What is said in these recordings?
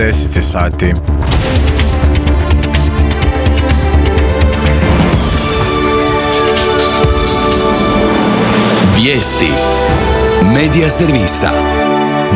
10 sati. Vijesti Medija servisa.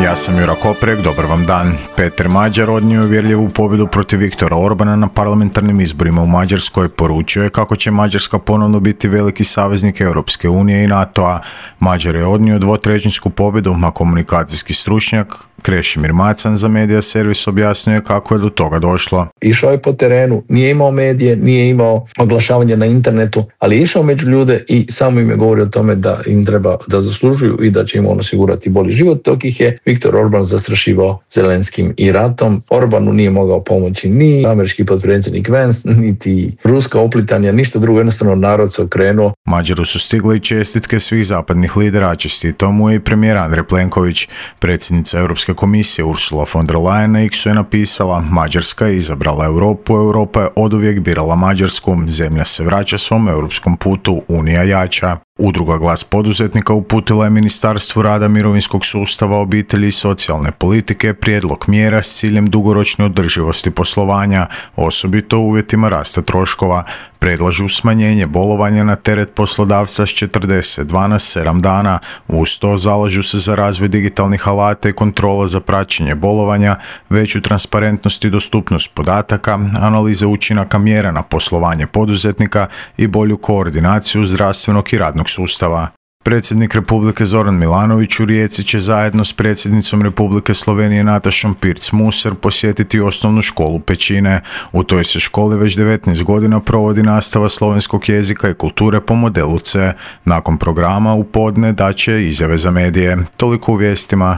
Ja sam Jura Koprek, dobar vam dan. Peter Mađar odnio uvjerljivu pobjedu protiv Viktora Orbana na parlamentarnim izborima u Mađarskoj. Poručio je kako će Mađarska ponovno biti veliki saveznik Europske unije i NATO-a. Mađar je odnio dvotrećinsku pobjedu, a komunikacijski stručnjak Krešimir Macan za Medija servis objasnio kako je do toga došlo. Išao je po terenu, nije imao medije, nije imao oglašavanje na internetu, ali je išao među ljude i samo im je govorio o tome da im treba da zaslužuju i da će im on osigurati bolji život, dok ih je Viktor Orban zastrašivao Zelenskim i ratom. Orbanu nije mogao pomoći ni američki potpredsjednik Vance, niti ruska oplitanja, ništa drugo, jednostavno narod se okrenuo. Mađaru su stigle i čestitke svih zapadnih lidera, a čestitao mu je i premijer Andrej Plenković. Predsjednica Europske komisije Ursula von der Leyen na X-u je napisala: Mađarska je izabrala Europu, Europa je oduvijek birala Mađarsku, zemlja se vraća svom europskom putu, Unija jača. Udruga Glas poduzetnika uputila je Ministarstvu rada, mirovinskog sustava, obitelji i socijalne politike prijedlog mjera s ciljem dugoročne održivosti poslovanja, osobito u uvjetima rasta troškova. Predlažu smanjenje bolovanja na teret poslodavca s 42 na 7 dana. Uz to zalažu se za razvoj digitalnih alata i kontrola za praćenje bolovanja, veću transparentnost i dostupnost podataka, analize učinaka mjera na poslovanje poduzetnika i bolju koordinaciju zdravstvenog i radnog sustava. Predsjednik Republike Zoran Milanović u Rijeci će zajedno s predsjednicom Republike Slovenije Natašom Pirc-Musar posjetiti osnovnu školu Pećine. U toj se školi već 19 godina provodi nastava slovenskog jezika i kulture po modelu C. Nakon programa u podne daće izjave za medije. Toliko u vijestima.